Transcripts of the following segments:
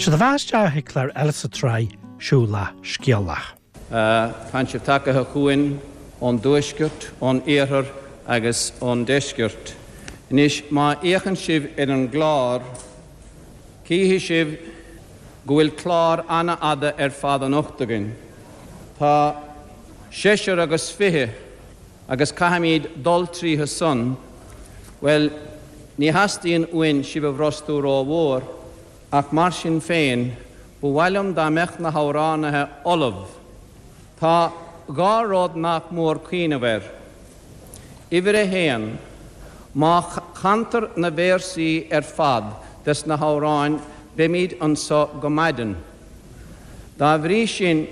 Séard a bheas isteach ag clár eile sa tsraith Siúlach Scéalach. Tánn sibh tagaithe chugainn ón dtuaisceart, ón iarthar agus ón deisceart. Anois, má fhéachann sibh ar an gclár, cífidh sibh go bhfuil clár an-fhada ar fad anocht againn. Tá seisear agus 20 agus caithfimíd dul tríothu san. Bhuel, ní theastaíonn uainn sibh a bhrostú rómhór, ach mar sin féin, ba mhaith liom dá mbeadh na hamhránaithe ullamh. Tá dhá rud nach mór cuimhneamh air. Uimhir a haon, má chantar na véarsaí ar fad des na hamhráin beimíd anso go maidin. Dá bhrí sin,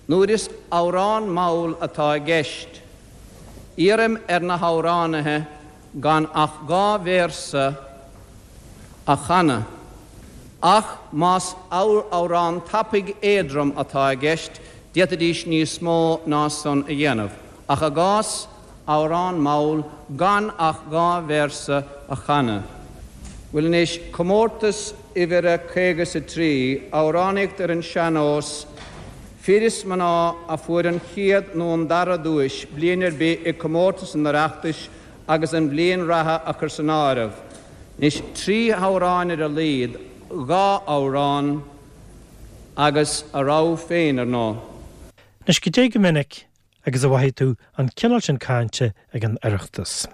nuair is amhrán mall atá i gceist, iarraim ar na hamhránaithe gan ach dhá véarsa a chanadh. Ach más amhrán tapaidh éadrom atá i gceist, d'fhéadfaidís níos mó ná san a dhéanamh. Ach i gcás amhrán mall, gan ach dhá véarsa a chanadh. Bhuel anois, comórtas uimhir a 50 is a 3, amhránaíocht ar an sean-nós, fir is mná a fuair an chéad nó an dara duais bliain ar bith i comórtas an Oireachtais agus an bhliain reatha a chur san áireamh. Anois, trí hamhráin ar a laghad, dhá amhrán agus a rogha féin, ar ndóigh. Anois, goidé go minic agus a mhothaigh tú an cineál sin cainte ag an Oireachtas.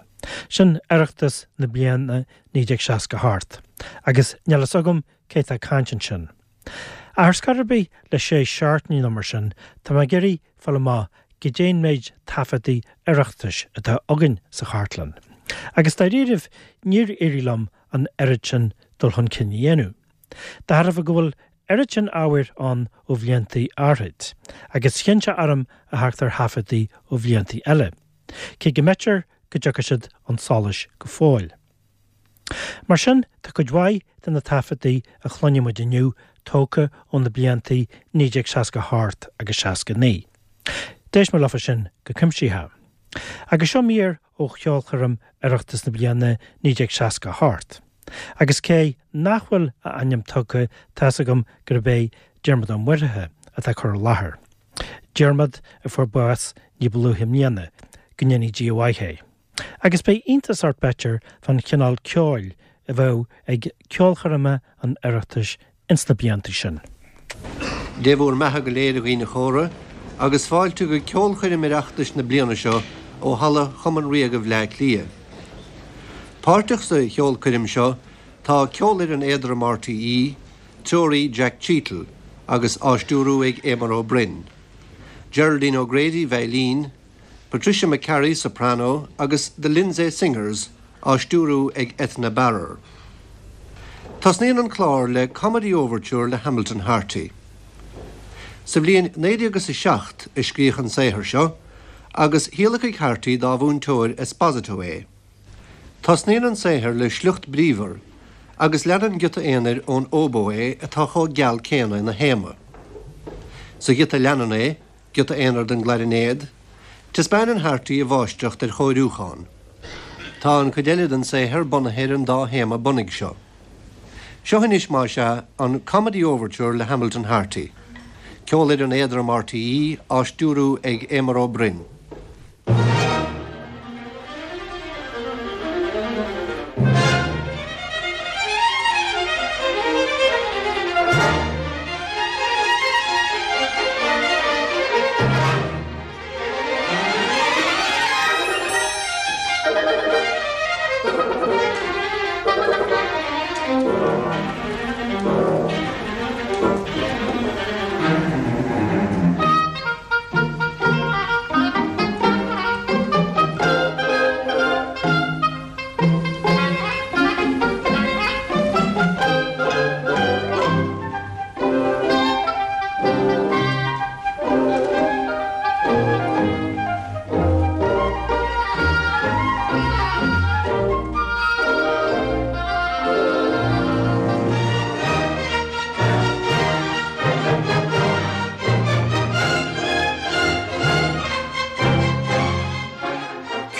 Sin Oireachtas na bliana 1968, agus níl fhios agam cé tá ag caint ansin. Ach ar scor ar bith, le sé seachtainí nó mar sin, tá mé ag iarraidh fáil amach goidé'n méid taifeadtaí Oireachtais atá againn sa chartlann. Agus dáiríribh, níor éirigh liom an oiread sin dul chun cinn a dhéanamh. De thairbhe go bhfuil oiread sin ábhair ann ó bhliantaí áithrid, agus chinn sé orm a theacht ar thaifeadtaí ó bhliantaí eile, cé go mb'fhéidir go dtiocfaidh siad chun solais go fóill. Mar sin, tá cuid mhaith de na taifeadtaí a chluinfidh muid inniu tógtha ó na bliantaí 1968 agus 69. D'éist mé leofa sin go cuimsitheach. Agus seo mír ó cheolchoirm Oireachtas na bliana 1968. Agus cé nach bhfuil a ainm tugtha, tá's agam gurb é Diarmuid Ó Muirthile atá ag cur i láthair. Diarmuid a fuair bás ní ba luaithe i mbliana, go ndéanaí Dia a mhaith é. Agus beidh iontas ort b'fhéidir fán chineál ceoil a bheadh ag ceolchoirmeacha an Oireachtais ins na blianta sin. Dé bhúr mbeatha go léir a dhaoine chóra, agus fáilte go ceolchoirm Oireachtais na bliana seo ó Halla Chumann Ríoga Bhleá Cliath. Páirteach sa cheolchoirm seo tá Ceolfhoireann Éadrom RTÉ, treoraí Jack Cheatle, agus á stiúrú ag Éamon Ó Broin. Geraldine O'Grady, veidhlín, Patricia McCarry, soprano, agus The Lindsay Singers á stiúrú ag Ethna Barrar. Tosnaíonn an clár le Comedy Overture le Hamilton Harty. Sa bhliain 1907 a scríodh an saothar seo agus thíolaic Harty dá mhúinteoir Esposito é. Tosnaíonn an saothar le sliocht bríomhar agus leanann giota aonair ón óbó é atá chomh geal céanna ina théama. Sa ghiota a leanann é, giota aonair don gclairinéad, taispeánann Harty a mháistreacht ar chóiriúchán. Tá an chuid eile den saothar bunaithe ar an dá théama bunaidh seo. Seo anois, más ea, an Comedy Overture le Hamilton Harty. Ceolfhoireann Éadrom RTÉ á stiúrú ag Éamon Ó Broin.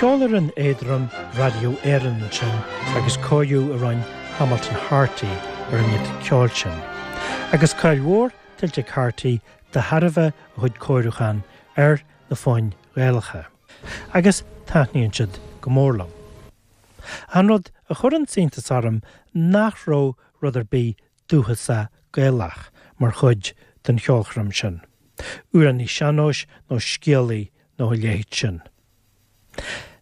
Ceolfhoireann Éadrom Raidió Éireann ansin agus cóiriú a rinne Hamilton Harty ar an ngiota ceoil sin. Agus cáil mhór tuillte ag Carty de thairbhe a chuid cóiriúchán ar na foinn Ghaelacha. Agus taitníonn siad go mór liom. An rud a chuireann iontas orm nach raibh rud ar bith dúchasach Gaelach mar chuid den cheolchoirm sin, amhránaí sean-nóis nó scéalaí nó a leithéid sin.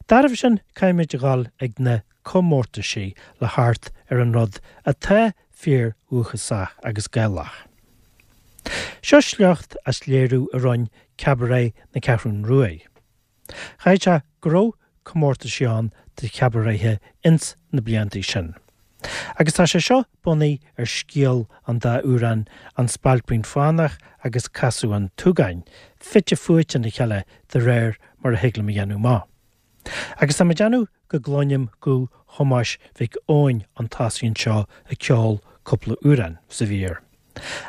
Dá thairbhe sin caithfimid a dhul ag na comórtaisí le theacht ar an rud atá fíor dhúchasach agus Gaelach. Seo sliocht as léiriú a rinne Cabaret na Ceathrún Ruaidh. Chaithfeadh sé go raibh comórtaisí ann do chabaretithe ins na bliantaí sin. Agus tá sé seo bunaithe ar scéal an dá amhrán An Spailpín Fánach agus Casadh an tSúgáin, fite fuaite ina chéile de réir mar a thig liom a dhéanamh amach. Agus tá mé ag déanamh go gcluinim guth Thomáis Mhic Eoin an tosaigh anseo ag ceol cúpla amhrán sa mhír.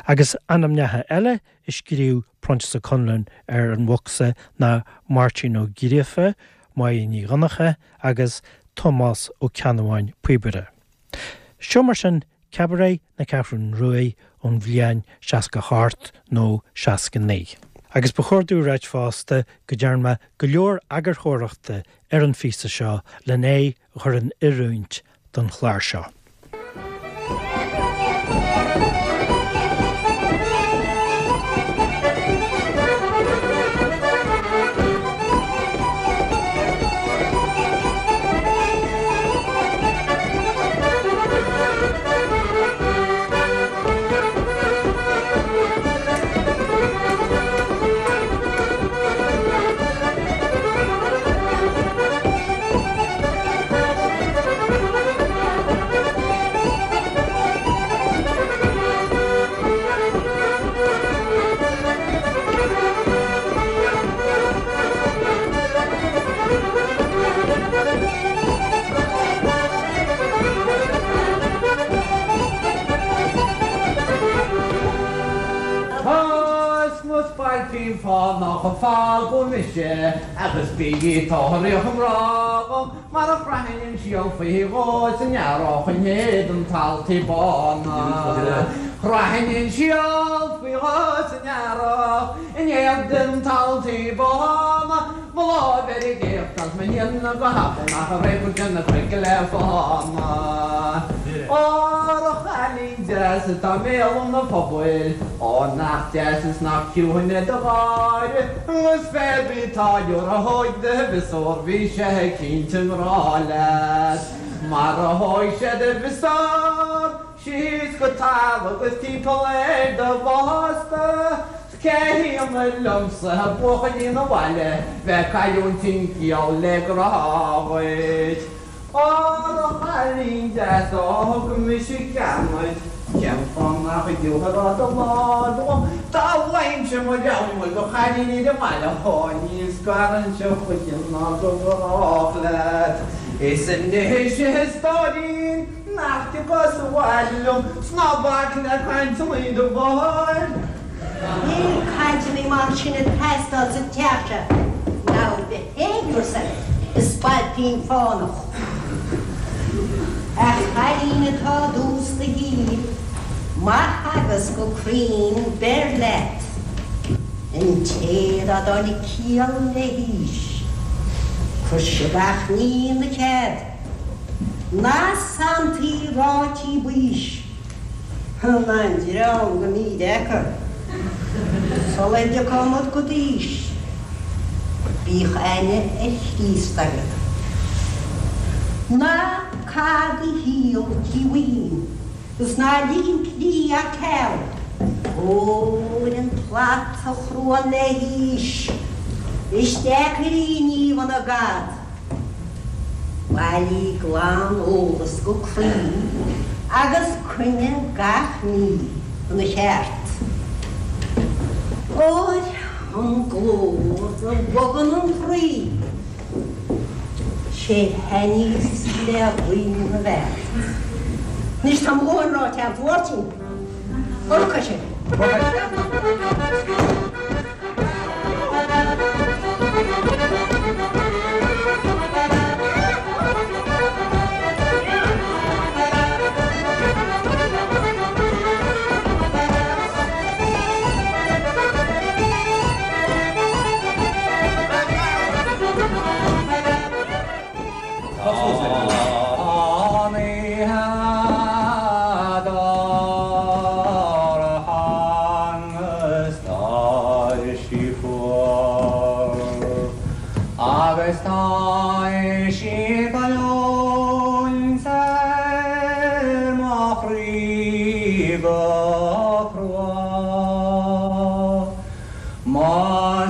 Agus ainmneacha eile a scríobh Proinsias Ó Conluain ar an bhocsa ná Máirtín Ó Gríofa, Máire Ní Dhonncha agus Tomás Ó Ceannabháin Píobaire. Seo mar sin Cabaret na Ceathrún Ruaidh ón bhliain 68 nó 69. Agus ba chóir domh a ráit fosta go dtearn mé go leor eagarthóireachta ar an phíosa seo len é a chur in oiriúint don chlár seo. Toisc mo spailpín fánach a fágadh mise agus bígí tóraíocht i ngrá dhom mar a chraithfinn an síol faoi dhó san earrach in éadan taltaí bána. Chraithfinn an síol faoi dhó san earrach in éadan taltaí bána. Mo láimh ar an gcéacht agus mo shéanadh go habail nach raibh cuid de na cnoic le fána. Óra a chailín deas atá i mbéal an phobail, ó nach deas is nach ciúin é do gháire, agus pé bith táilliúr a thóig do mhiosúr bhí sé cinnte i ngrá leat. Mar a thóig sé do mhiosúr síos go talamh agus timpeall ar do bhásta. Cé hionadh liomsa, a bhuachaillín an bhaile, bheith ag cailliúint an ciall le grá dhuit. Óra a chailín deas, ó thug mise ceann duit, cén fáth nach dtiúrfá do láimh dhom? Dá bhfaighinnse mo rogha de chailíní ar an mbaile, ó ní scarfainnse choíche ná go brách leat. Is anois, a stóirín, nach dtiocfá sa bhaile liom, 's ná bac le cainteanna do mháthair. Níl cainteanna mar sin ag teastáil sa teach seo. Now behave yourself, a spailpín fánach. A chailín atá i dtús do shaoil, mo theagasc go cruinn beir leat. An té dá dtáinig ciall le haois, cuir sé gach ní ina chead. Na santaí ráití baois. An dream go mídheacair sula dtiocfaidh muid go d'aois, bíodh aithne ar Chríost agat. Ná caith do shaol ciúin is ná lig an tslí ar ceal, óir an tslat a chruann le haois, is deacair í a ní ina gad. Bailigh glan-eolas go cruinn agus coinnigh gach ní ina cheart. Óir an glór a bhogann an croí, 'sé thaitníos le guí na bhfeart. Anois tá mo dhóthain ráite agat, a Mháirtín. Olc é sin. go crua. Mo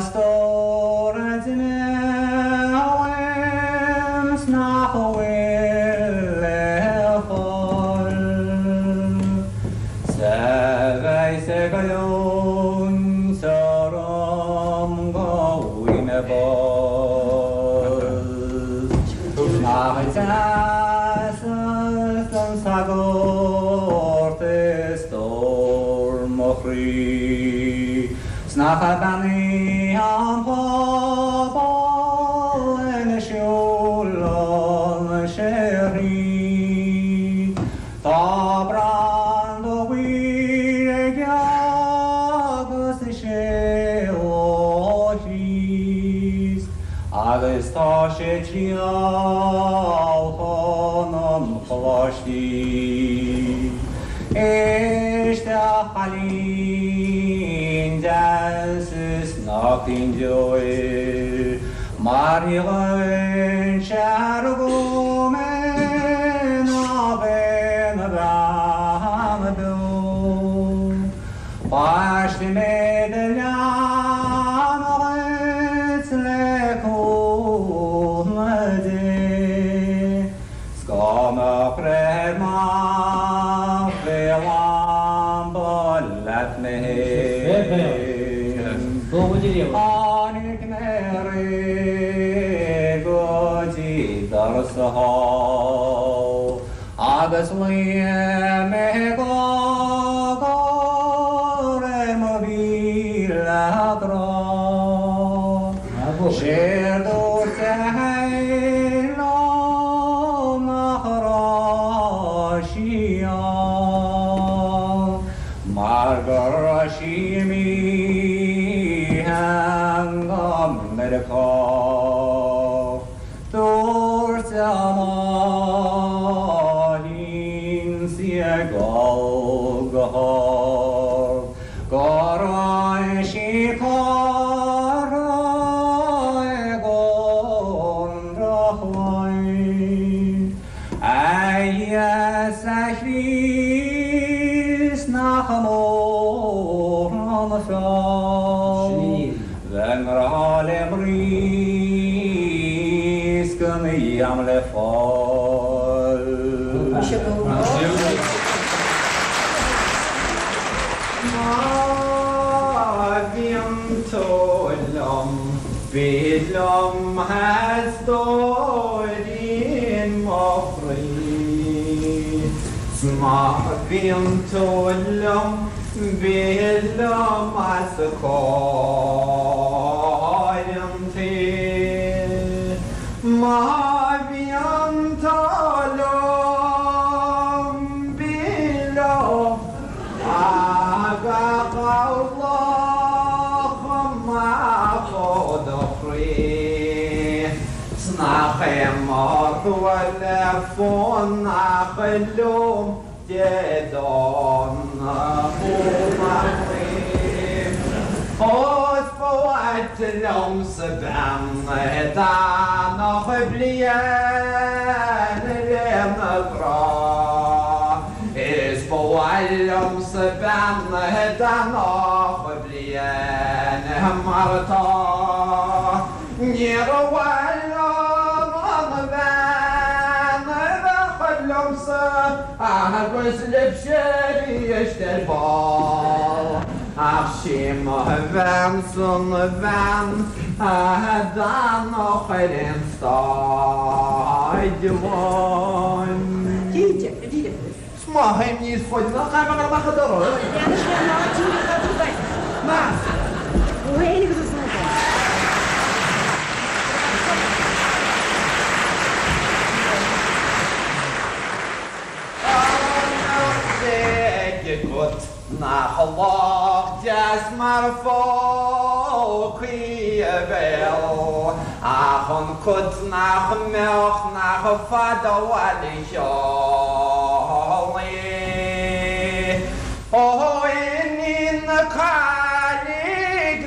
stór a d'imigh uaim 's nach bhfuil le fáil 'S a bheas ag goilliúint orm go bhfaighidh mé bás. Nach deas don sagart is stór mo chroí 's nach beannaithe an pobal ina siúlann sé thríd. Tá branda buí aige agus is é Lá Chríost agus tá sé ag triall chun an choláistí. Éist a chailín deas is ná caoin deoir mar ní ghoin sé a rugadh mé ná bheith 'na bhean beo. Baistfidh mé do leanbh dhuit le cúnamh Dé. 'S go mbeadh breith ar m'am fé lampa leat mé fhéin. Tháinig mé aréir go dtí doras a hall agus luigh mé go raibh mo mhíle grá. Séard dúirt sé féin liom nach raibh sí ann mar go raibh sí imithe go Meiriceá. Dúirt a máithrín 's í ag gol go hard go raibh sí curtha i gcónra chlaí. A Íosa Chríost nach mór an feall bheith i ngrá le mnaoi 's gan am le fáil. Má bhíonn tú liom, bí liom a stóirín mo chroí. 'S má bhíonn tú liom, bí liom os comhair an tsaoil. Má bhíonn tú liom, bí liom agus gabh luch amach ó do chroí. 'S nach é mo thrua le fanacht liom Dé Domhnaigh ó mo chroí. Ó is ba mhaith liomsa bean a d'fhanfadh bliain lena grá. Is ba mhaith liomsa bean a d'fhanfadh bliain mar atá. Níor mhaith liom an bhean a bheadh liomsa agus libhse arís ar ball. Ach sí mo bheansa an bhean a d'fhanfadh ar aon stáid amháin. 'S má théim níos faide ná caithfidh mé dul amach an doras. Leanfaidh sé ná díreach á dúbailt. Más. Ó fhéin agus is údar. Beannacht Dé agat nach lách deas mar phócaí a bhéal ach an cut nach mbeadh nach fada abhaile sheol í. Ó iníon na caillí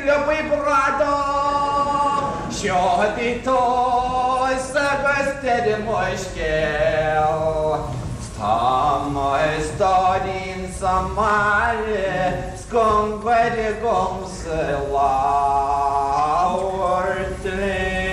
liobaí bradach, seo í tús agus deireadh mo scéil. 'S tá mo stóirín-sa. sa mbaile 's go ngoire dhomsa labhairt libh.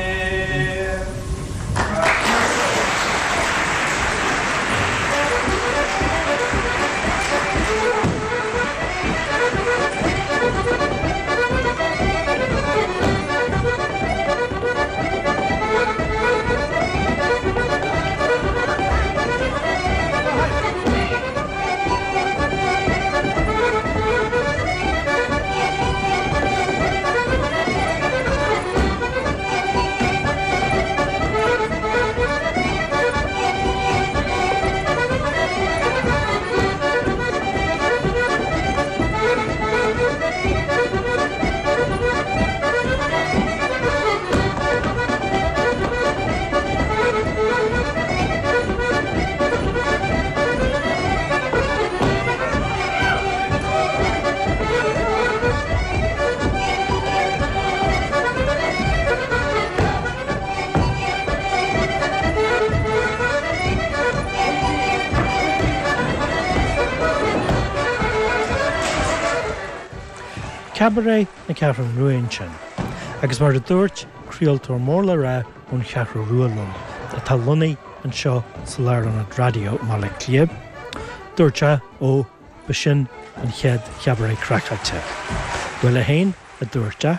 Cabaret na Ceathrún Rua ansin. Agus mar a dúirt craoltóir mór le rá ón Cheathrú Rua liom, atá lonnaithe anseo sa Lárionad Raidió i mBaile Átha Cliath, dúirt sé, ó, b'shin an chéad chabaret craiceáilte. Bhuel é féin, a dúirt sé.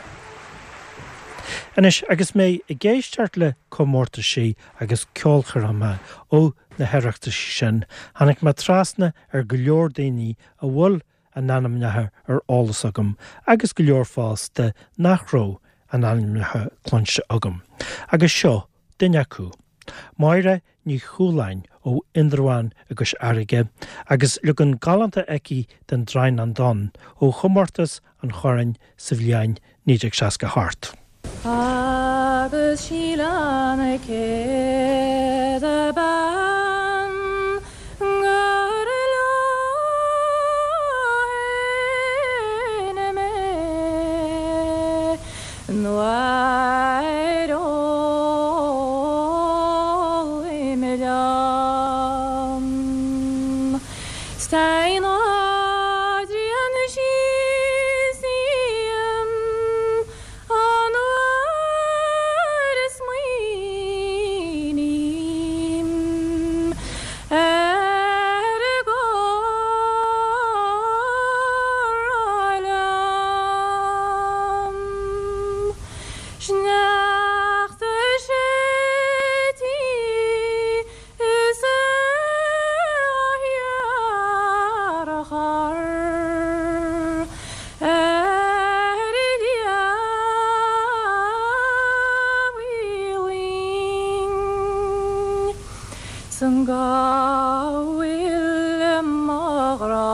Anois, agus mé ag éisteacht le comórtaisí agus ceolchoirmeacha ó na hOireachtaisí sin, tháinig mé trasna ar go leor daoine a bhfuil a n-ainmneacha ar eolas agam agus go leor fosta nach raibh a n-ainmneacha cluinste agam. Agus seo duine acu. Máire Ní Chualáin ó Indreabhán i gCois Fharraige agus leagan galánta aici den Draighneán Donn ó chomórtas an Choirn sa bhliain 1968. Agus Síle na céad bean gur leo féin mé nuair ólfaidh mé liom. Stein Adrian síos An uair a smaoiním ar a gcomhrá liom, sneachta séidtí Is é a shearachar ar leath linn 's an go bhfuil mo ghrá-sa.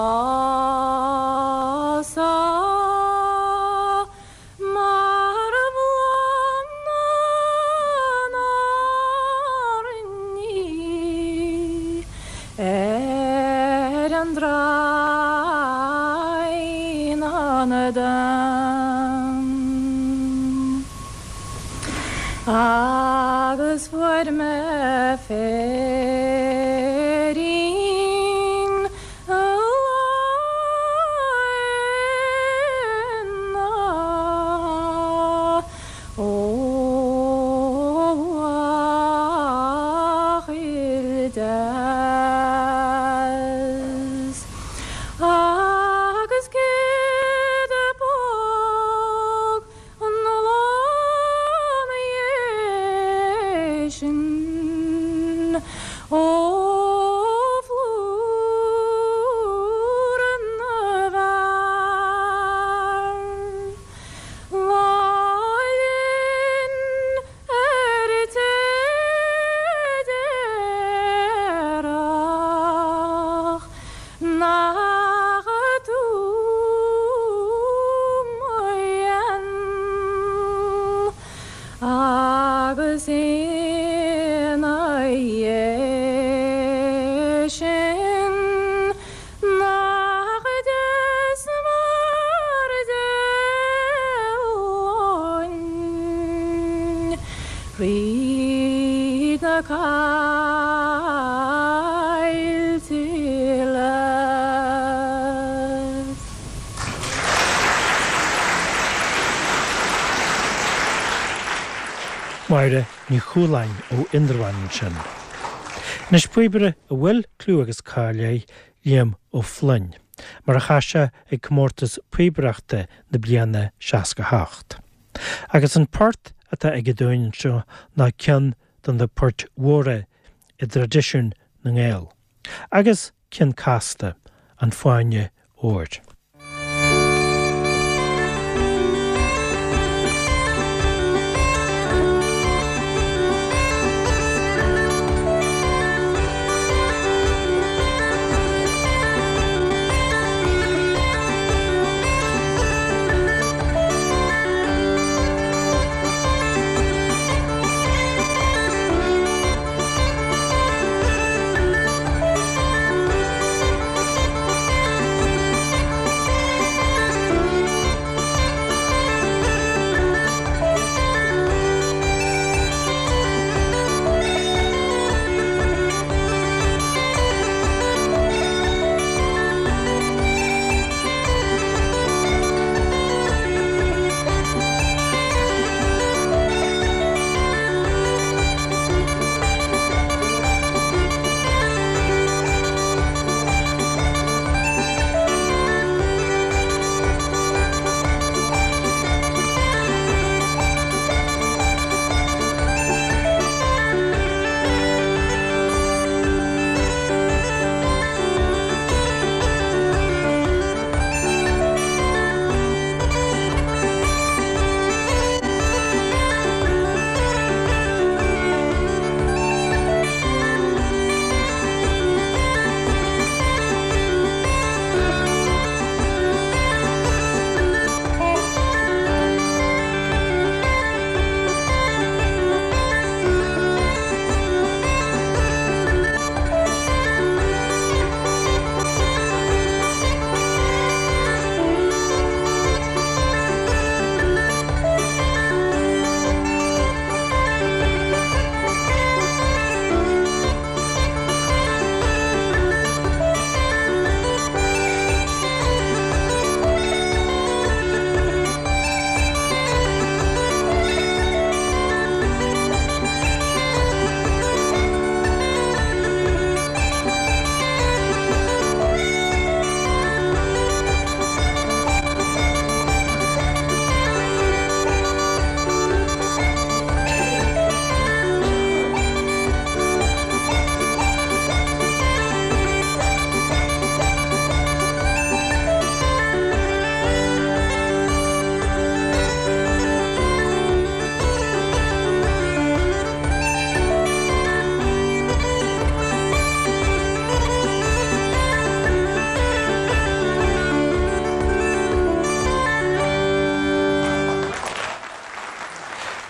Mar bhláth na n-airní ar an Draighneán Donn. Agus fuair mé féirín Agus céad póg An lá 'na dhiaidh sin ó phlúr na bhfear, lá linn ar an déarfadh Nach tú mo dhean agus ina dhiaidh sin nach deas mar dialann fríd na caillte. Máire Ní Chualáin ó Indreabhán ansin. Anois píobaire a bhfuil clú agus cáil air, Liam Ó Floinn, mar a chas sé ag comórtas píobaireachta na bliana 68. Agus an port atá aige dúinn anseo ná ceann de na poirt mhóra i dtraidisiún na nGael. Agus ceann casta, An Fáinne Óir.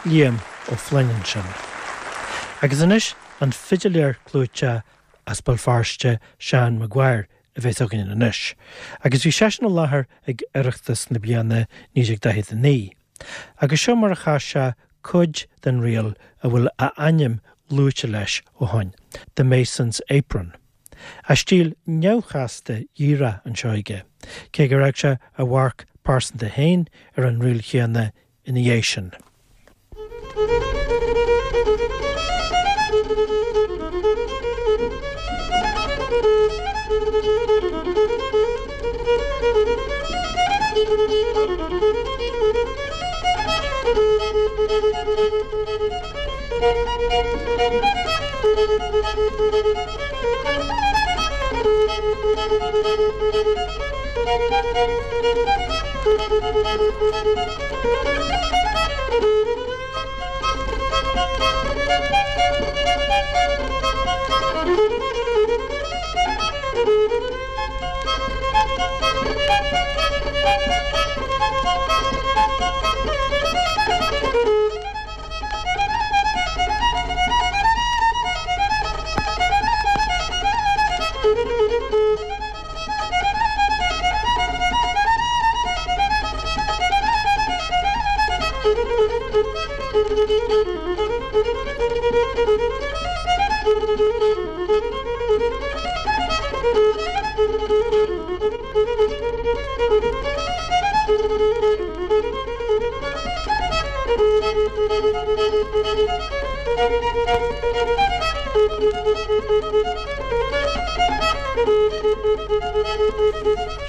Liam Ó Floinn ansin. Agus anois an fidiléir clúiteach as Béal Feirste, Seán Maguire, a bheas againn anois. Agus bhí seisean i láthair ag Oireachtas na bliana 1949. Agus seo mar a chas sé cuid den ríl a bhfuil a ainm luaite leis ó shoin, The Mason's Apron. A stíl neamhchasta dhíreach anseo aige, cé gur fhág sé a mharc pearsanta féin ar an ríl chéanna ina dhiaidh sin.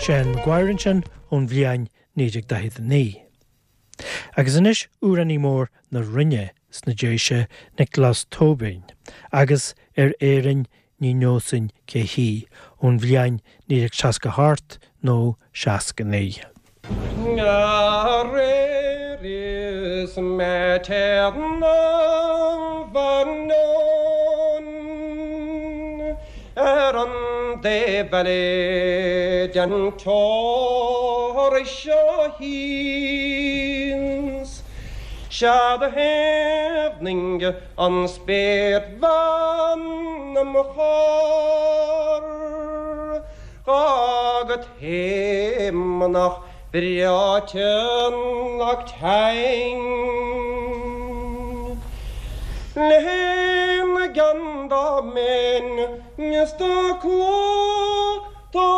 Seán Maguire ansin ón bhliain 1949. Agus anois amhránaí mór na Rinne sna Déise, Nioclás Tóibín, agus Ar Éirinn Ní Neosainn Cé Hí, ón bhliain 1968 nó 69. Aréir is mé téarnamh anonn ar an dtaobh eile den teorainn seo thíos, 'Sea do thaobhnaigh an spéirbhean im' charr. Go taomanach breoite ach teann Lena gceann dá mbeinn is dá cló dá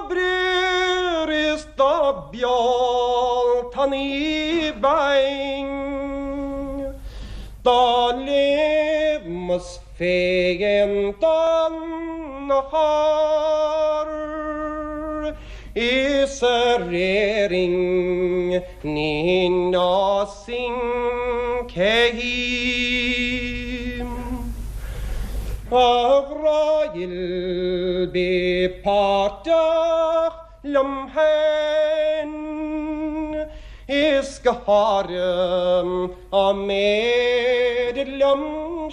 bréir is dá bealtainí beinn dá léimeas Féin don charr is ar Éirinn ní neosfainn cé hí. A ghrá dhil bí páirteach liom féin is go háirithe an méid liom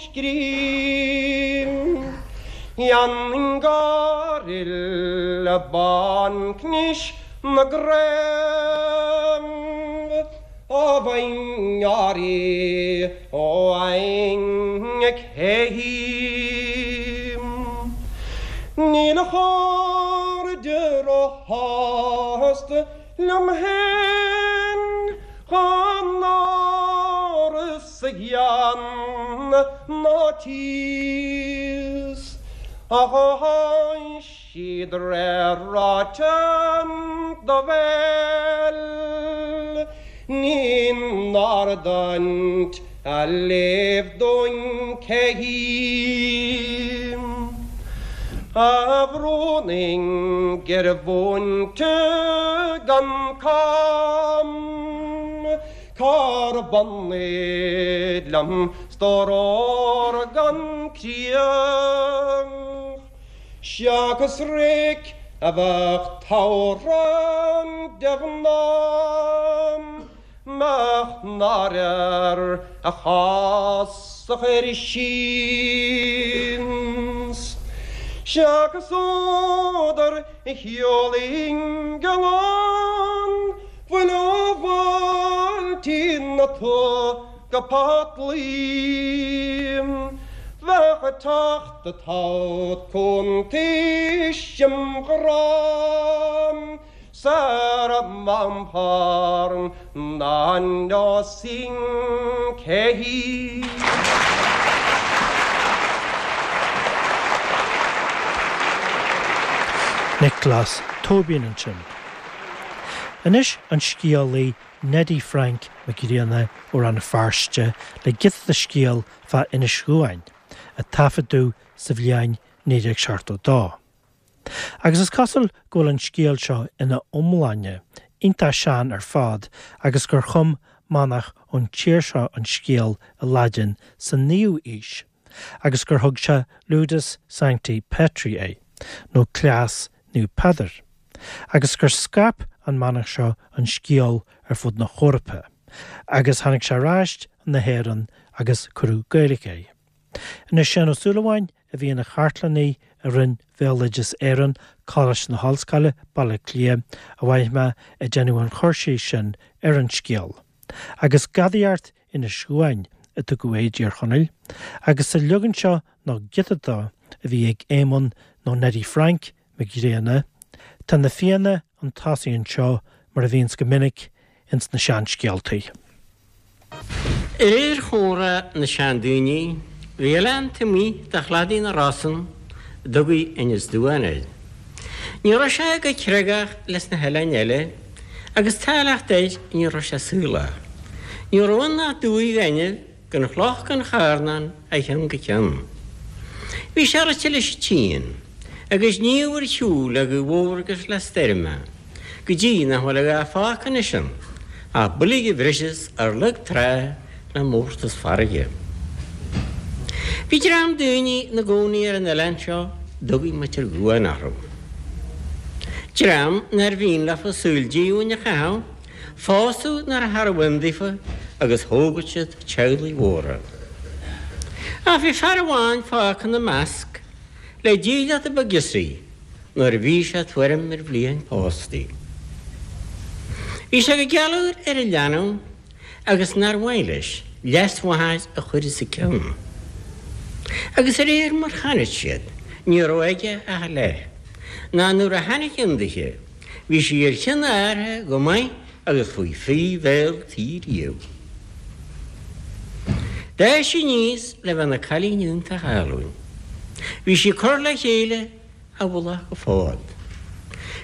scríobh. Dhéanfainn gáiril bancnis na gcraobh á bhfaighinn áirí ó fhaing cé hí. Níl a chairde róshásta liom féin chun áras a ghean ná tíos ach ó tháin siad réir ráite do bhéal ní n-ardaint a léamh dúinn cé hí a bhrúnainn gur mhúinte gan com cár bhunaigh liom stór ór gan criach seachas réic a bheadh toghrán de mhná. Mbeadh náire air a chás a chur síos Seachas údar a sheolainn gallán Fuil ó bhailtí na tuath go Potlaí Bheadh ag teacht atá cuntais im ghrá. Sara mbamthar na neosfainn cé hí. Nioclás Tóibín ansin. Anois an scéalaí Neddy Frank Mac Grianna ó Rann na Feirste le giota de scéal fá Inis Dhuáin a taifeadadh sa bhliain 1972. Agus is cosúil go bhfuil an scéal seo ina iomláine iontach sean ar fad agus gur chum manach ón tír seo an scéal i Laidin sa naoú aois agus gur thug sé Ludus Sancti Petri air, nó Cleas Naomh Peadar, agus gur scaip an manach seo an scéal ar fud na hEorpa agus tháinig sé ar ais chun na hÉireann agus cuireadh Gaeilge air. Anois Seán Ó Súilleabháin a bhí ina chartlannaí i Roinn Bhéaloideas Éireann, Coláiste na hOllscoile, Baile Átha Cliath, a mhaith mé ag déanamh an chur síos sin ar an scéal. Agus Gadaíocht Inis Dhuáin a tugadh air i dTír Chonaill, agus sa leagan seo nó giota dó a bhí ag Éamonn nó Neddy Frank Mac Grianna, tá na Fianna 'un tosaigh anseo mar a bhíonns go minic ins na seanscéaltaí. Réir chomhrá na seandaoine, bhí oileán taobh amuigh de chladaí na Rosann a dtugaí Inis Duáin air. Ní raibh sé go creagach leis na hoileáin eile agus tá leacht air ní raibh sé saolach. Ní raibh ann ach dumhaigh ghainimh. gan chloch gan charnán ó cheann go ceann. Bhí sé rite leis an tSín, agus gníomh ar shiúl le gaoth mhór agus le stoirm é, go dtí nach bhfuil a dhath fágtha anois ann ach boilg a bhriseas ar lag trá le mórtas farraige. Bhí dream daoine ina gcónaí ar an oileán seo dtugaí Muintir Dhuáin orthu. Dream nár mhian leofa saol díomhain a chaitheamh, Pósadh nuair nárbh ann daofa agus thógadh siad teaghlaigh mhóra. Ach bhí fear amháin fágtha ina measc le dílleachta beag girseach nuair a bhí sé tuairim ar bhliain pósta. Bhí sé go gealúil ar an leanbh agus nár mhaith leis leasmháthair a chur os a cionn. Agus de réir mar chonaic siad ní raibh aige ach a leath, ná nuair a tháinig ann dithe, Bhí sí ar chionn a athar go maith agus faoi phí bhéal tí riamh. D'fhás sí aníos le bheith ina cailín iontach álainn. Bhí sí curtha le chéile ó mhullach go fód.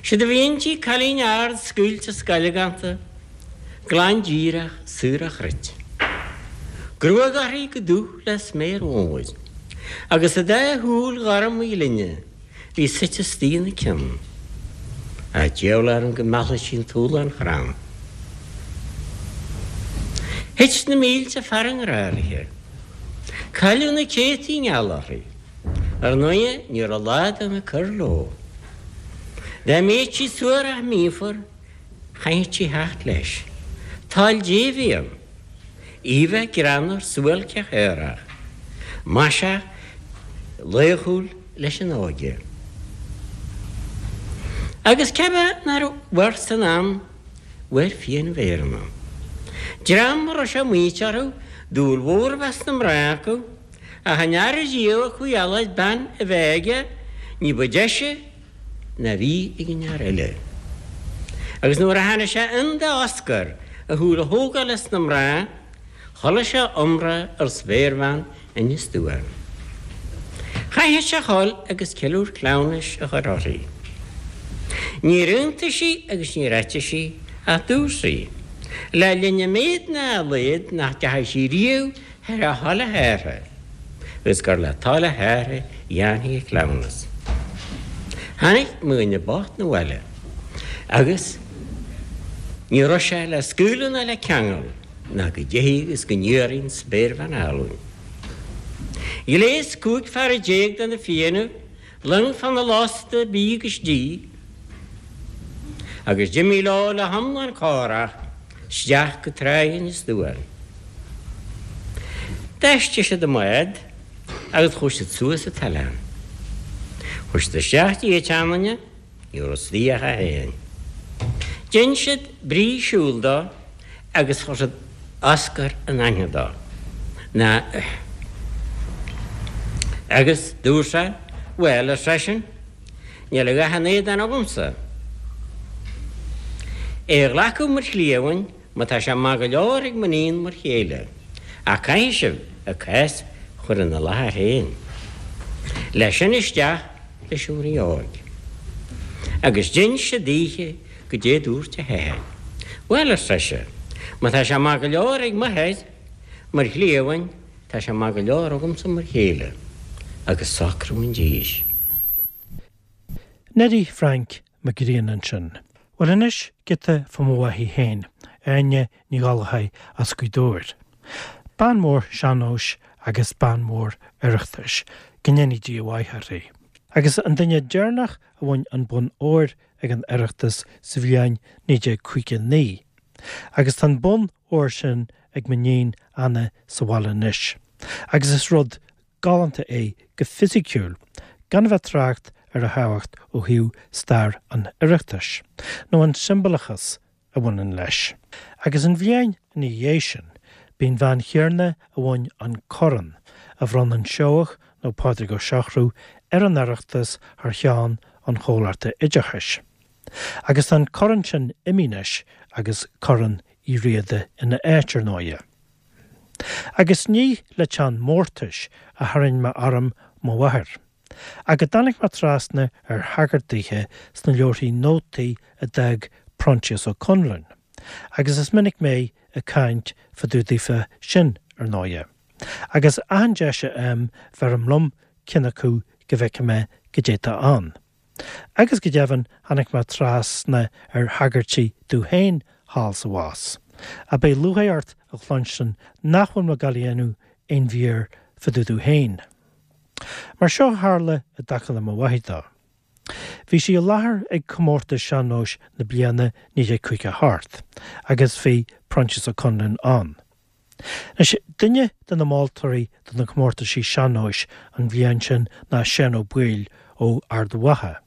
Séard a bhí inti cailín ard scaoilte scealgánta, glan díreach saor ó chruit. Gruag uirthi chomh dubh le sméar mhór, agus a dá shúil ghorma ghlinne. Bhí suite istigh ina cionn. Ach diabhal orm go meallfadh sí an túlán chrann. Thit na mílte fear i ngrá léi. Cailleadh na céadtaí i ngeall uirthi. Ar ndóighe, ní raibh lá dona ag cur leo. Dá mbeadh sí suarach míofar, chaithfeadh sí theacht leis. Toil Dé a bhí ann. Í bheith greannmhar suáilceach aerach, maiseach laochúil leis an óige. Agus cé bith nár mhair san am, mhair Fianna Bhéarna. Dream a raibh sé maíte orthu dúil mhór a bheith sna mná acu, ach an fhear riamh a chuaigh a lorg bean a bheith aige ní ba deise ná bhí ag an fhear eile. Agus nuair a tháinig sé ann d'Oscar a shúil a thógáil as na mná, chuala sé iomrá ar spéirbhean Inis Duáin. Chaithfeadh sé a dhul agus ceiliúr cleamhnais a chur uirthi. Níor aontaigh sí agus níor eitigh sí ach dúirt sí, le linn a méad ná a laghad nach dteachaidh sí riamh thar a thoil a hathar agus gur le toil a hathar a dhéanfaí an cleamhnas. Tháinig mo dhuine bocht 'na bhaile agus ní raibh sé le scaoileadh ná le ceangal ná go dtithfeadh agus go n-iarrfaidh an spéirbhean álainn. Ghléas 15 fear de na Fiannaibh long fána lasta bídh agus dí agus d'imigh leo le hiomlán córach isteach go Tráigh Inis Duáin. D'fheistigh siad a mbád agus chuaigh siad suas an t-oileán. Chuaigh siad isteach dtí an tseanduine, ní raibh istigh ach é féin. Dhein siad brí siúil dó agus chuir siad Oscar in aithne dó. Na, agus dúirt sé, Bhuel, ar seisean, níl a dhath in éadan agamsa. É a ghlacadh mar chliamhain má tá sé maith go leor ag m'iníon mar chéile. Ach caithfidh sibh a cás a chur ina láthair féin. Leis sin isteach leis an rí óg. Agus d'inis sé daoithe goidé dúirt a hathair. Bhuel, ar seisean, má tá sé maith go leor ag m'athair mar chliamhain, tá sé maith go leor agamsa mar chéile. Agus socrú an dís. Neidí Frainc Mac Grianna ansin. Bhuel anois, giota fá mo mhaithí féin, Áine Ní Ghallchóir as Gaoth Dobhair. Bean mhór sean-nóis agus bean mhór Oireachtais, go ndéanaí Dia a mhaith uirthi. Agus an duine deireanach a bhain an bonn óir ag an Oireachtas sa bhliain 1959. Agus tá an bonn óir sin ag m'iníon Anna sa bhaile anois. Agus is rud galánta é go fisiciúil, gan a bheith ag trácht ar a thábhacht ó thaobh stair an Oireachtais, nó an siombalachas a bhaineann leis. Agus an bhliain ina dhiaidh sin, b'í an bhean chéanna a bhain an corn, a bhronn an Seoigheach nó Pádraig Ó Siochrú ar an Oireachtas thar cheann an Chomhlachta Oideachais. Agus tá an corn sin imithe anois agus Corn Uí Riada ina áit, ar ndóighe. Agus ní le teann mórtais a tharraing mé orm mo mháthair. Ach go dtáinig mé trasna ar thagairt daoithe sna leabharthaí nótaí a d'fhág Proinsias Ó Conluain, agus is minic mé ag caint fá dtaobh daofa sin, ar ndóighe. Agus achan deis a fhaighim, bheirim liom ceann acu go bhfeicfidh mé goidé tá ann. Agus go deimhin, tháinig mé trasna ar thagairtí domh féin thall sa bhás. Ach beidh lúcháir ort a chluinstin nach bhfuil mé ag gabháil a dhéanamh aon mhír fá dtaobh domh féin. Mar seo a tharla i dtaca le mo mháthair dó. Bhí sí i láthair ag comórtas sean-nóis na bliana 1958 agus bhí Proinsias Ó Conluain ann. Anois, duine de na moltóirí do na comórtaisí sean-nóis an bhliain sin ná Seán Ó Baoill ó Ard Mhacha,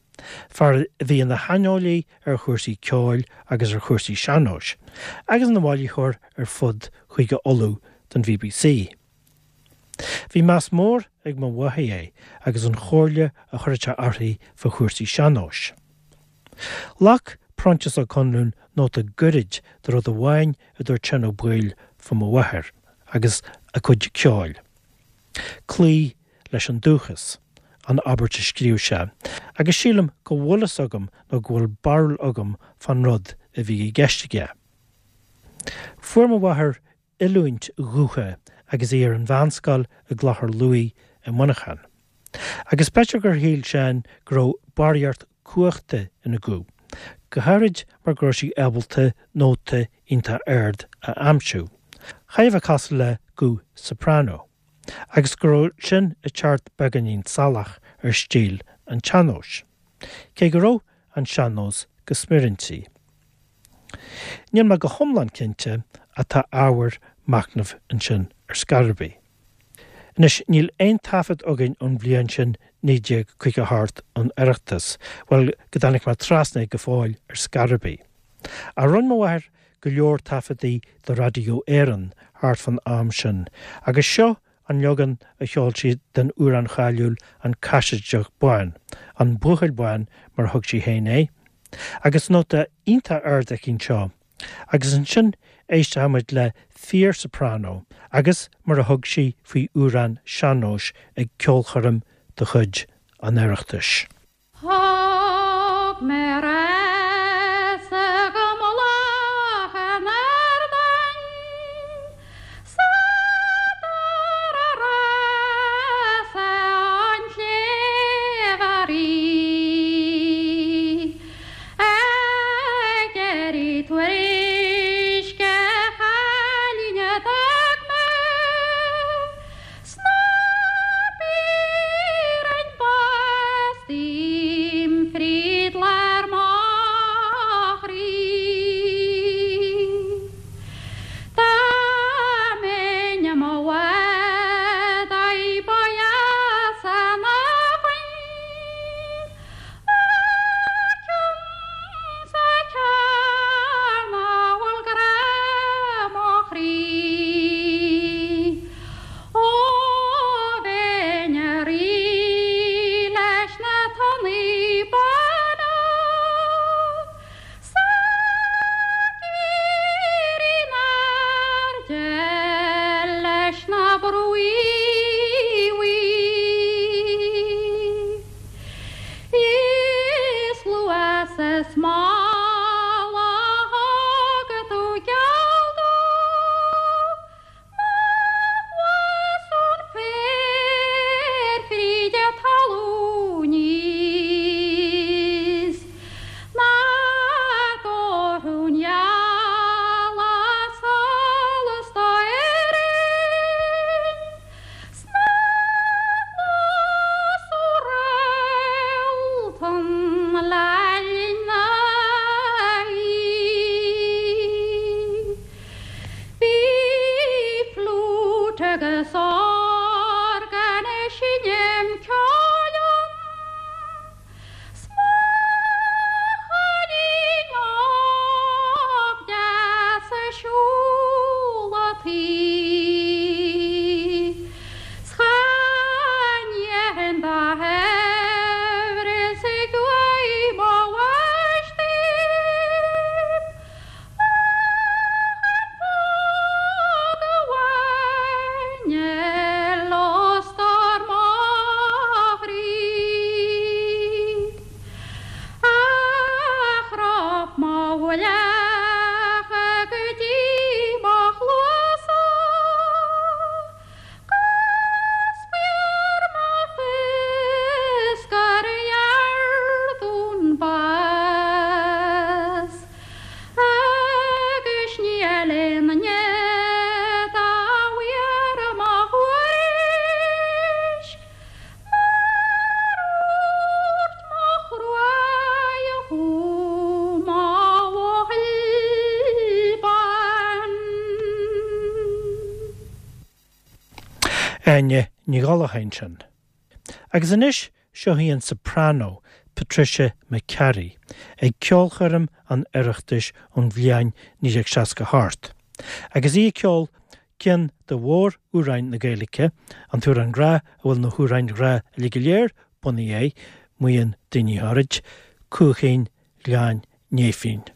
fear a bhí ina shaineolaí ar chúrsaí ceoil agus ar chúrsaí sean-nóis, agus ina bhailitheoir ar fud Chúige Uladh don BBC. Bhí meas mór ag mo mháthair air agus an chomhairle a chuireadh sé uirthi fá chúrsaí sean-nóis. Ghlac Proinsias Ó Conluain nóta gairid de rud amháin a dúirt Seán Ó Baoill fá mo mháthair agus a cuid ceoil. Cloí leis an dúchas, an abairt a scríobh sé, agus sílim go bhfuil fhios agam nó go bhfuil barúil agam fán rud a bhí i gceist aige. Fuair mo mháthair oiliúint ghutha agus í ar an mheánscoil i gClochar Lughaidh i Muineachán. Agus b'fhéidir gur shíl Seán go raibh barraíocht cumhachta ina guth, go háirid mar go raibh sí ábalta nóta iontach ard a aimsiú, chóir a bheith cosúil le guth soprano, agus go raibh sin ag teacht beagáinín salach ar stíl an tsean-nóis, cé go raibh an sean-nós go smior inti. Níl mé go hiomlán cinnte ach tá ábhar machnaimh ansin ar scor ar bith. Anois, níl aon taifead againn ón bhliain sin 1958 ón Oireachtas, bhuel, go dtáinig mé trasna air go fóill ar scor ar bith. Ach rinne mo mháthair go leor taifeadtaí do Radio Éireann thart fán am sin, agus seo an leagan a cheol sí den amhrán cháiliúil An Caisideach Bán, An Buachaill Bán mar a thug sí féin é, agus nóta iontach ard aici anseo, agus ansin éistfidh muid le fíor-soprano agus mar a thug sí faoi amhrán sean-nóis ag ceolchoirm de chuid an Oireachtais. Thug mé rasa go mullach an ardáin Sa dara rása an tsléibhe rí Ag iarraidh tuairisc a chailín a d'fhág mé Sna bioráin b'as dím fríd lár mo chroí. Dá mbeinn i mo mhadaidh ba dheas an abhainn a cionn 's a cearnóg. Áine Ní Ghallchóir ansin. Agus anois seo í an soprano Patricia McCarry ag ceolchoirm an Oireachtais ón bhliain 1968. Agus í ag ceol ceann de mhór-amhráin na Gaeilge, an t-amhrán grá a bhfuil na hamhráin ghrá uilig go léir bunaithe air, maíonn daoine áirid, Cuaichín Ghleann Néifinn.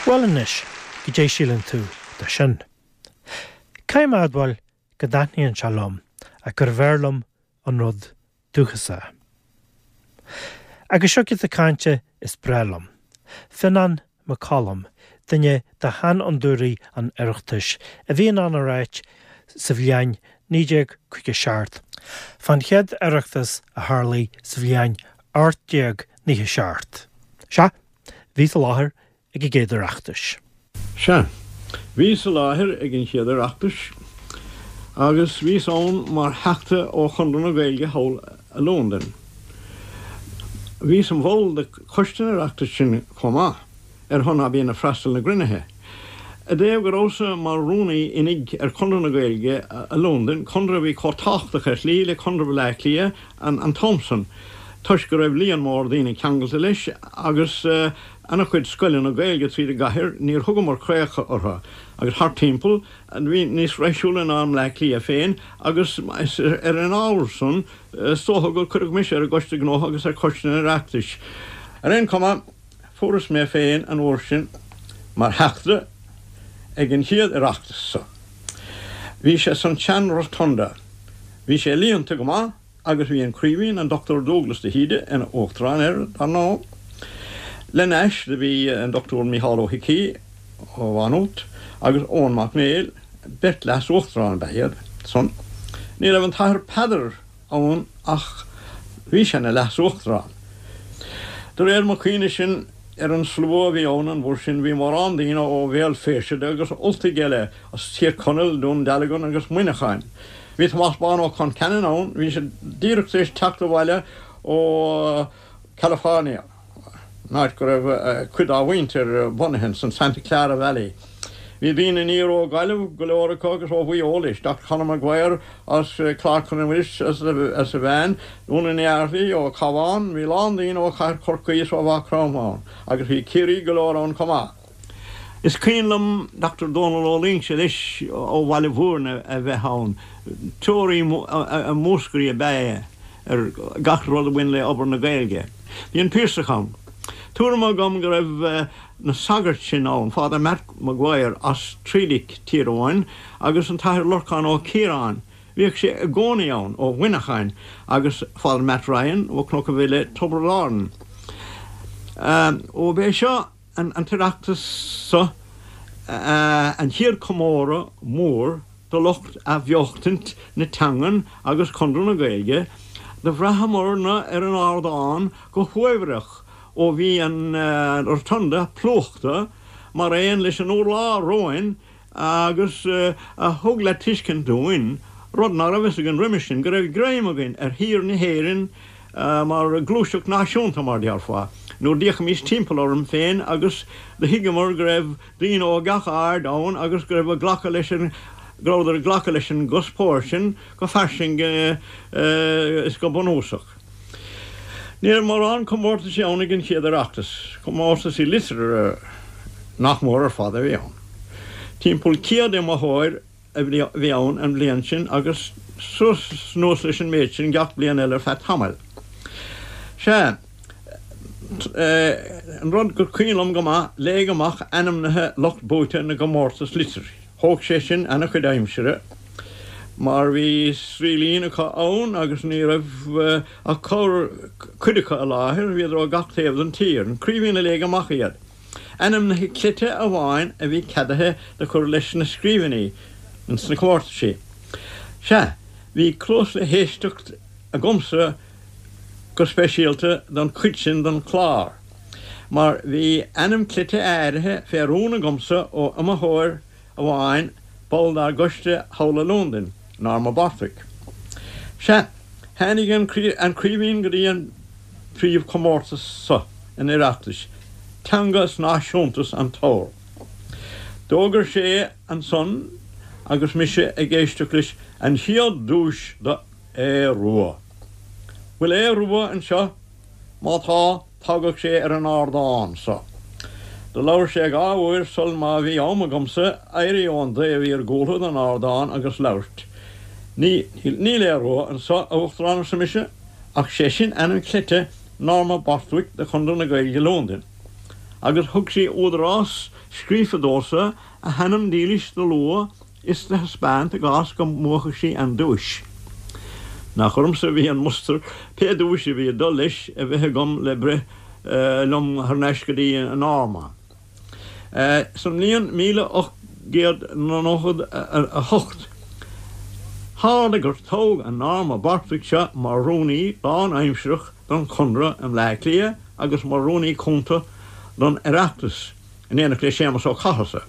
Bhuel anois, goidé síleann tú de sin? Caithfidh mé a admháil go dtaitníonn sé liom ach gurbh fhearr liom an rud dúchasach. Agus seo giota cainte is breá liom. Fionán Mac Coluim, duine de sheanfhondúirí an Oireachtais, a bhí in ann a ráit sa bhliain 1957 fán chéad Oireachtas a tharlaigh sa bhliain 1897. Sea, bhíos i láthair ag an gcéad Oireachtas. Sea, bhíos i láthair ag an chéad Oireachtas agus bhíos ann mar theachta ó Chonradh na Gaeilge thall i Londain. Bhíos im bhall de choiste an Oireachtais sin chomh maith, ar shon ná bíonn ag freastal na gcruinnithe. I dtaobh go rabhas-sa mar rúnaí oinigh ar Chonradh na Gaeilge i Londain, conradh a bhí chomh tábhachtach ar shlí le Conradh Bhaile Átha Cliath an t-am san, toisc go raibh líon mór daoine ceangailte leis agus ana-chuid scoileanna Gaeilge tríd an gcathair, níor thugamar craobhacha orthu, agus thart timpeall, a bhí níos raidhsiúla ná i mBleá Cliath féin, agus is ar an ábhar san, is dócha gur cuireadh mise ar an gCoiste Gnótha agus ar Choiste an Oireachtais. Ar aon chuma, fuarthas mé féin an uair sin mar theachta ag an chéad Oireachtas so. Bhí sé san tsean-Rotunda. Bhí sé líonta go maith agus bhí an Craoibhín, an Dr. Dúglas de hÍde, ina uachtarán air, dar ndóigh. Lena ais do bhí an Dr. Mícheál Ó hIcí ó Mhá Nuat agus Eoin Mac Néill, beirt leas-uachtarán ab ea iad san. Ní raibh an tAthair Peadar ann ach. Bhí sé ina Leas-Uachtarán. De réir mo chuimhne sin ar an slua a bhí ann an uair sin bhí mórán daoine ó Bhéal Feirste agus Ultaigh eile as Tír Chonaill, Dún Dealgan agus Muineachán. Bhí Tomás Bán Ó Concheanainn ann, bhí sé díreach tar éis teacht abhaile ó California. an áit go raibh cuid dá mhuintir bunaithe san Santa Clara Valley. Bhí daoine aniar ó Ghaillimh, go leor acu, agus ó Mhaigh Eo leis, Dr Conor Maguire as Clár Chonradh Muiris is a bhean, Úna Ní Fhearghaigh ó Cabhán, bhí a lán daoine ó Chathair Chorcaí is ó Mhaigh Chromtha ann, agus bhí Ciarraígh go leor ann chomh maith. Is cuimhin liom Dr Dónal Ó Loingsigh leis ó Bhaile Mhúirne a bheith ann. Treoraí i Múscraí ab ea é ar gach rud a bhain le obair na Gaeilge. Bhí an Piarsach ann. Tuairim agam go raibh na sagairt sin ann, Father Matt Maguire as Trílic, Tír Eoghain, agus an tAthair Lorcán Ó Ciaráin, bhíodh sé i gcónaí ann, ó Mhuineacháin, agus Father Matt Ryan ó Chnoc an Bhile, Tiobraid Árann. Ó b'é seo. An tOireachtas so an chéad chomóradh mór do lucht athbheochtaint na teangan agus Conradh na Gaeilge, do bhraitheamar-na ar an ardán go huaibhreach ó bhí an Rotunda plúchta mar aon leis an urlár romhainn agus a thug le tuiscint dúinn, rud ná raibh fhios againn roimis sin, go raibh greim againn ar thír na hÉireann mar ghluaiseacht náisiúnta, mar déarfá, nuair d'fhéachaimís timpeall orainn féin agus do thuigeamar go raibh daoine ó gach aird ann agus go raibh ag glacadh leis an, go rabhadar ag glacadh leis an gcuspóir sin go fairsing is go bunúsach. Ní raibh mórán comórtaisí ann ag an chéad Oireachtas, comórtaisí liteartha nach mór ar fad a bhí ann. Timpeall 100 iomaitheoir a bhí ann an bhliain sin agus suas anuas leis an méid sin gach bliain eile ar feadh tamaill. Sea, an rud gur cuimhin liom go maith, léadh amach ainmnithe lucht buaite na gcomórtas liteartha. Thóg sé sin ana-chuid aimsire mar bhí sraoillín acu ann agus ní raibh ach corr cuid acu i láthair, bhíodar ó gach taobh den tír. An Craoibhín a léigh amach iad. Ainmnithe cleite amháin a bhí ceadaithe do chur leis na scríbhinní ins na comórtaisí. Sea, bhí cluas le héisteacht agamsa go speisialta don chuid sin den chlár, mar bhí ainm cleite áirithe fé rún agamsa ó iomaitheoir amháin, ball dár gcoiste thall i Londain, Norma Borthwick. Sea, tháinig an Craoibhín go dtí an príomhchomórtas so an Oireachtais, Teanga is Náisiúntas an t-abhar. D'fhógair sé ansan, agus mise ag éisteacht leis, an chéad duais do Aodh Rua. Bhfuil Aodh Rua anseo? Má tá, tagadh sé ar an ardán so. Do labhair sé dha uair sul má bhí am agamsa éirí ón dtaobh iargúltha den ardán agus labhairt. Ní, níl Aodh Rua anso, a Uachtaráin, arsa mise, ach sé sin ainm cleite Norma Borthwick de Chonradh na Gaeilge Londain. Agus thug sí údarás scríofa domhsa a hainm dílis do lua is do thaispeáint i gcás go mbuafadh sí an duais. Nach ormsa a bhí an mustar, pé duais a bhí ag dul leis, a bheith agam le breith liom thar n-ais go dtí Norma. Sa mbliain 1898, tharla gur toghadh an Norma Borthwick seo mar rúnaí lán-aimsireach don Chonradh i mBleá Cliath agus mar rúnaí cúnta don Oireachtas. in éineacht le Séamus Ó Cathasaigh.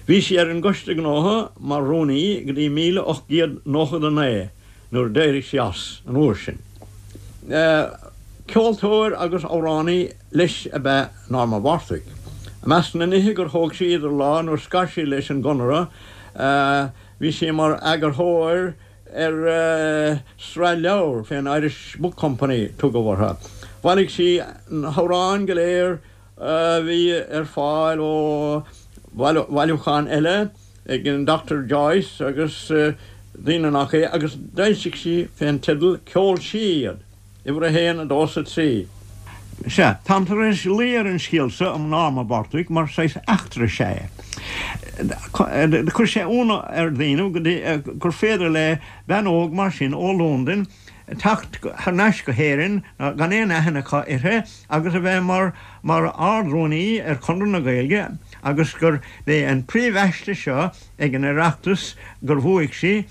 Bhí sí ar an gCoiste Gnótha mar rúnaí go dtí 1899 nuair a d'éirigh sí as an uair sin. Ceoltóir agus amhránaí leis ab ea Norma Borthwick. I measc na nithe gur thóg sí idir lámha nuair scar sí leis an gConradh bhí sí mar eagarthóir ar sraith leabhar fén Irish Book Company tugadh orthu. Bhailigh sí na hamhráin go léir a bhí ar fáil ó bhailiúcháin eile ag an Dr Joyce agus daoine nach é agus d'fhoilsigh sí fén teideal Ceol Sí iad, uimhir 1, 2 's 3. Sea, táim tar éis luí ar an scéal so um Norma Borthwick mar saghas eachtra is ea é. Do chuir sé ionadh ar dhaoine go dtí gur féidir le bean óg mar sin ó Londain teacht thar n-ais go hÉirinn gan aon aithne acu uirthi agus a bheith mar mar Ard-Rúnaí ar Chonradh na Gaeilge agus gur b'é an príomh-aiste seo ag an Oireachtas gur bhuaigh sí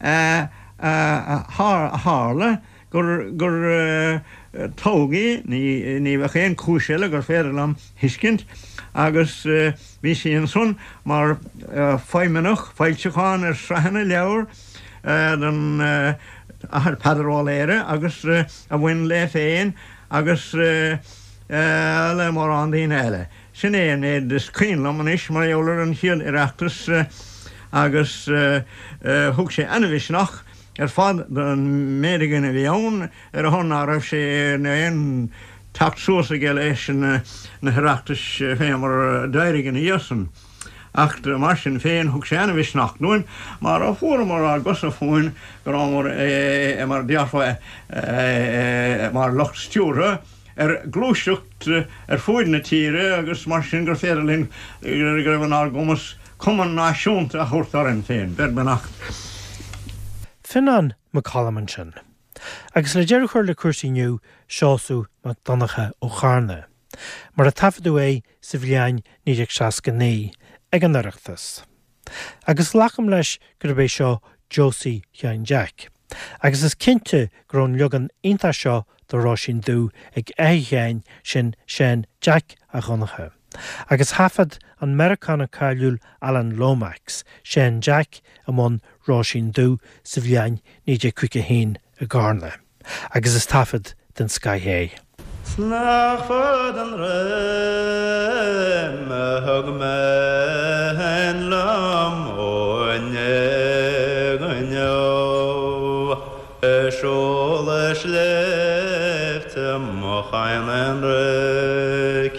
a tharla. gur gur toghadh í, ní bheadh aon chúis eile gur féidir liom thuiscint, agus bhí sí ansan mar feidhmeannach foilseachán ar sraitheanna leabhar don Athair Peadar Ó Laoghaire agus a bhain léi féin agus le mórán daoine eile. Sin é an méid is cuimhin liom anois mar gheall ar an chéad Oireachtas agus thug sé ana-mhisneach ar fad don méid againn a bhí ann ar a shon ná raibh sé in aon teacht suas aige leis na hOireachtais fé mar a d'éirigh ina dhiaidh san. Ach mar sin féin thug sé ana-mhisneach dúinn mar a fuaireamar ár gcosa fúinn go rabhamar mar a déarfá mar lucht stiúrtha ar ghluaiseacht ar fuaid na tíre agus mar sin gur féidir linn go raibh inár gcumas cumann náisiúnta a thabhairt orainn féin. Beir beannacht. Fionán Mac Coluim ansin. Agus le deireadh a chur le cúrsaí inniu, Seosamh Mac Donncha ó Charna. Mar a taifeadadh é sa bhliain 1969 ag an Oireachtas. Agus glacaim leis gurb é seo Josie Sheáin Jeaic. Agus is cinnte go raibh an leagan iontach seo de Róisín Dubh ag athair Sheáin, sin Seán Jeaic 'Ac Dhonncha. Agus thaifead an Meiriceánach cáiliúil Alan Lomax, Seán Jeaic i mbun Róisín Dubh sa bhliain 1951 i gCarna. Agus is taifead den scoith é. 'S nach fada an roim a thug mé féin liom ó inné go inniu Ag siúl na sléibhte mo chadhain aonraic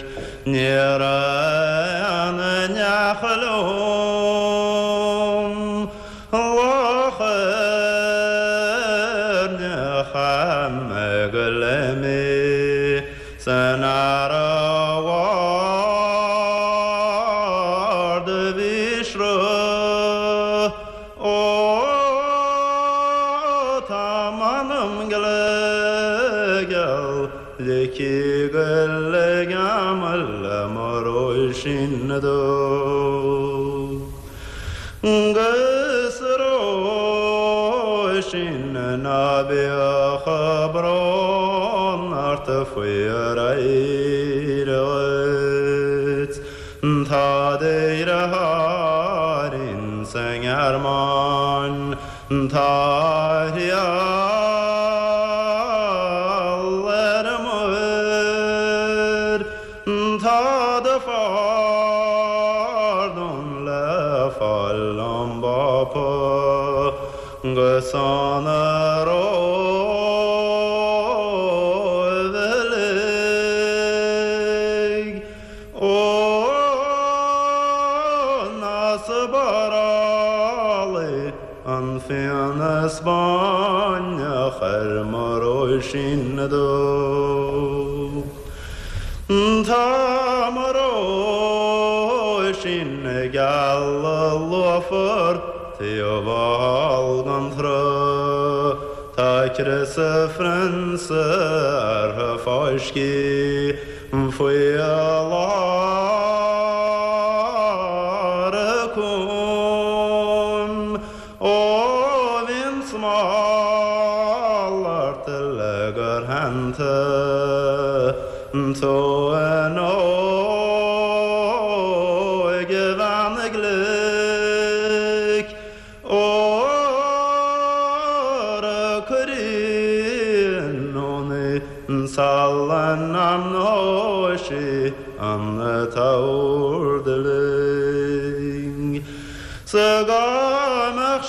Ní raibh aon neach liom Loch Éirne chaith mé go léimí san earra ard a bhí sruth Ó tá m'anam gile geal ligthe go ligeamal le mo Róisín Dubh. 'Gus a Róisín ná bíodh brón ort faoi ar éirigh dhuit Tá do dheartháir insa nGearmáin Tá a thriall ar muir Tá do phardún le fáil ón bPápa 'gus ón Róimh uilig. Ó, ná spárálaigh an fíon Spáinneach ar mo Róisín Dubh. Tá mo Róisín geal luafar taobh thall den tsruth. Tá crios an phrionsa uirthi fáiscthe faoi lár a cúm. Ó bhí an smál ort le gur theann tú in óige-bhean ghlic, óra cuirín ón salann amnóisí an t-ord uilig. 'S dá mbeadh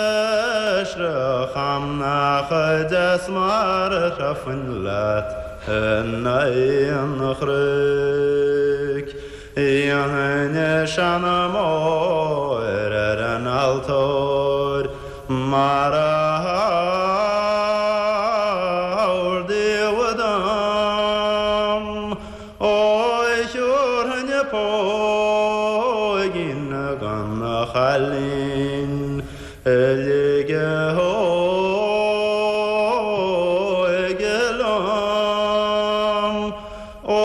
seisreach a'm nach deas mar a throidfinn leat in aghaidh an chnoic. Dhéanfainn seanmóir ar an altóir mar a hordaíodh dom. Ó thiúrfainn póigín don chailín a ligfeadh a hóige liom. Ó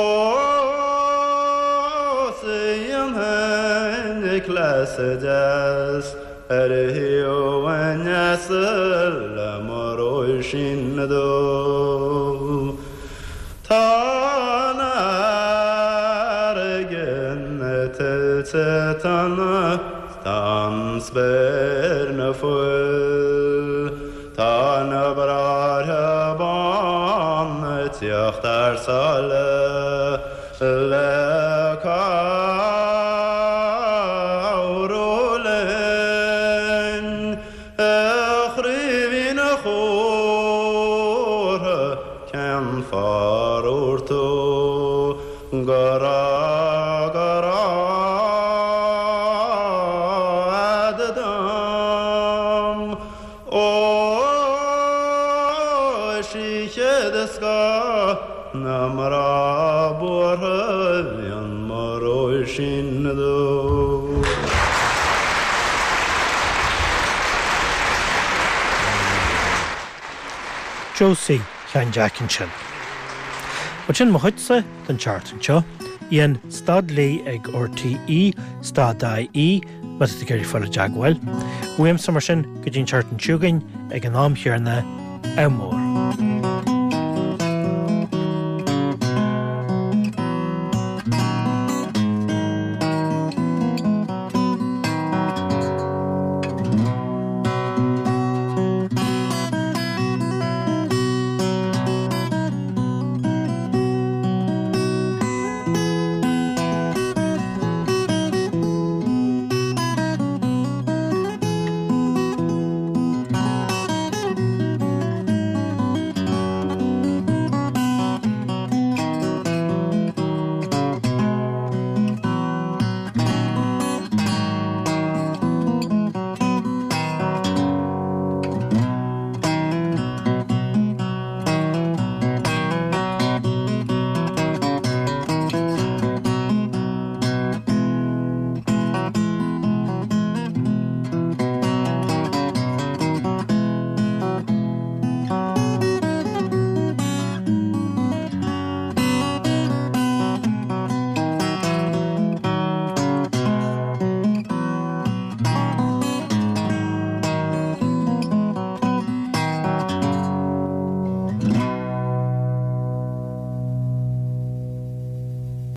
's dhéanfainn cleas deas ar thaobh an easail le mo Róisín. Róisín Dubh. Tá an fharraige 'na tuilte tonna 's tá an spéir 'na fuil. Tá na bráithre bána ag tíocht thar sáile le cabhrú linn. A Chraoibhín Chumhra, cén fáth ar dhúirt tú go raibh, go raibh a'd dom? Ó, is í chéad scoth na mná buartha a bhíonn mo Róisín Dubh. Josie Sheáin Jeaic ansin. Bhuel sin mo chuidse don tseachtain seo. Ian stad Lee ag RTÉ, stad IE, má tá tú ag iarraidh fáil i dteagmháil. Uaimse mar sin go dtí an tseachtain seo chugainn ag an am chéanna, ádh mór.